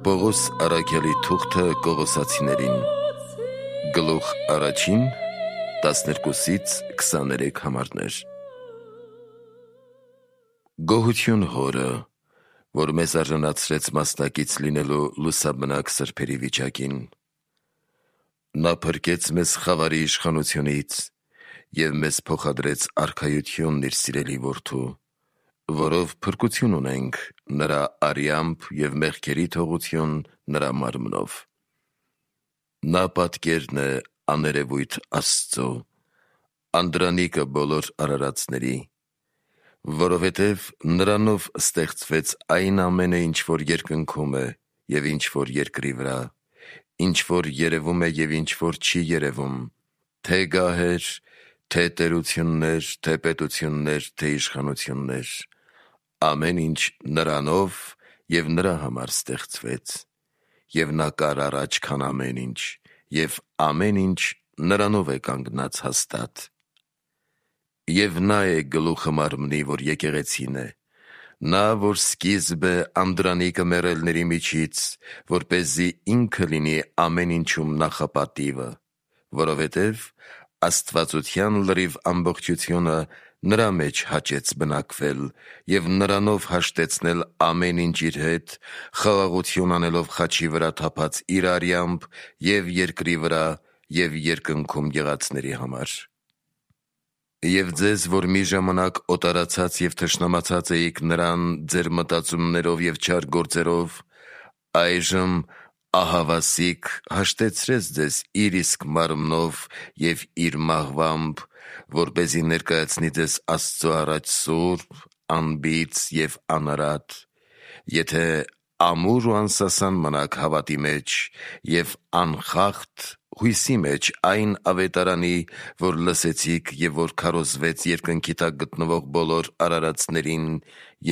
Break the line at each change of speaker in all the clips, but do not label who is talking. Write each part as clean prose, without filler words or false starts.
Պողոս առաքյալի թուղթը Կողոսացիներին, գլուխ առաջին, 12-23 համարներ։ Գոհություն Հորը, որ մեզ արժանացրեց մասնակից լինելու լուսաբնակ սրբերի վիճակին։ Նա փրկեց մեզ խավարի իշխանությունից և մեզ փոխադրեց արքայությունն իր սիրելի որդու, որով փրկություն ունենք նրա արյամբ և մեղքերի թողություն նրա մարմնով։ Նա պատկերն է աներևույթ Աստծո, անդրանիկը բոլոր արարածների, որովհետև նրանով ստեղծվեց այն ամենը, ինչ որ երկնքում է և ինչ որ երկրի վրա, ինչ որ երևում է և ինչ որ չի երևում, թե գահեր, թե տերություններ, թե պետություններ, թե իշխանություններ, ամեն ինչ նրանով և նրա համար ստեղծվեց, և նա կար առաջ, քան ամեն ինչ, և ամեն ինչ նրանով է կանգնած հաստատ։ Եվ նա է գլուխը մարմնի, որ եկեղեցին է, նա, որ սկիզբ է անդրանիկը մեռելների միջից, որպեսզի ինքը լինի ամեն ինչում նախապատիվը, որովհետև աստվածության լրիվ ամբողջությունը նրա մեջ հաճեց բնակվել և նրանով հաշտեցնել ամեն ինչ իր հետ, խաղաղություն անելով խաչի վրա թափած իր արյամբ և երկրի վրա և երկնքում եղածների համար։ Եվ ձեզ, որ մի ժամանակ օտարացած և թշնամացած էիք նրան ձեր մտածումներով և չար գործերով, այժմ ահավասիկ հաշտեցրեց ձեզ իր իսկ մարմնով և իր մահվամբ, որպեսզի ներկայացնի ձեզ Աստծո առաջ սուրբ, անբիծ և անարատ, եթե ամուր ու անսասան մնաք հավատի մեջ և անխախտ հույսի մեջ այն ավետարանի, որ լսեցիք և որ քարոզվեց երկնքի տակ գտնվող բոլոր արարածներին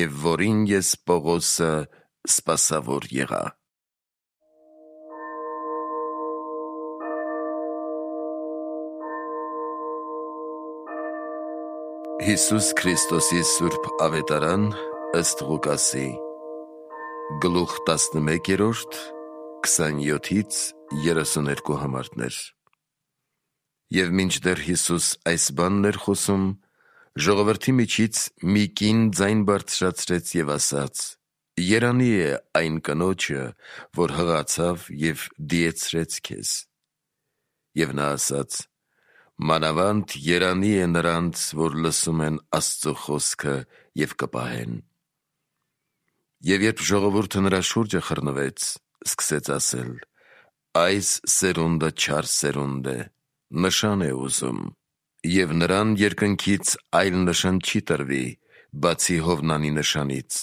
և որին ես Պողոսը սպասավոր եղա։ Հիսուս Քրիստոսի սուրբ ավետարան ըստ Ղուկասի, գլուխ 11, 27-32 համարներ։ Եվ մինչդեռ Հիսուս այս բանն էր խոսում, ժողովրդի միջից մի կին ձայն բարձրացրեց և ասաց. «Երանի է այն կնոջը, որ հղացավ և դիեցրեց քեզ»։ Եվ նա ասաց. «Մանավանդ երանի է նրանց, որ լսում են Աստծո խոսքը և կպահեն»։ Եվ երբ ժողովուրդը նրա շուրջը խռնվեց, սկսեց ասել. «Այս սերունդը չար սերունդ է, նշան է ուզում, և նրան երկնքից այլ նշան չի տրվի, բացի Հովնանի նշանից,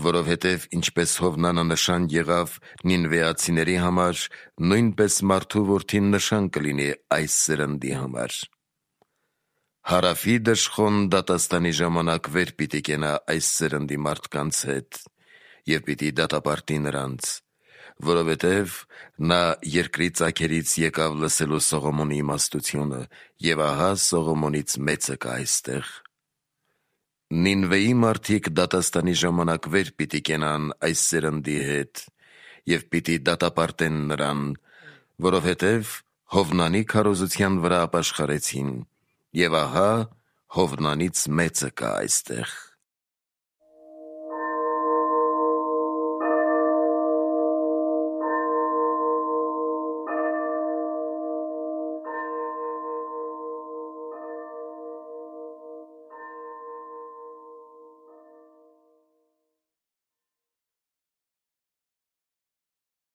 որովհետև ինչպես Հովնանը նշան եղավ նինվեացիների համար, նույնպես մարդու որդին նշան կլինի այս սերնդի համար։ Հարավի դժխոն դատաստանի ժամանակ վեր պիտի կենա այս սերնդի մարդկանց հետ և պիտի դատապարտի նրանց, որովհետև նա երկրի ծագերից եկավ լսելու Սողոմոնի իմաստությունը, և ահա Սողոմոնից մեծը կա այստեղ։ Նինվեի մարդիկ դատաստանի ժամանակ վեր պիտի կենան այս սերնդի հետ և պիտի դատապարտեն նրան, որովհետև Հովնանի քարոզության վրա ապաշխարեցին, և ահա Հովնանից մեծը կա այստեղ։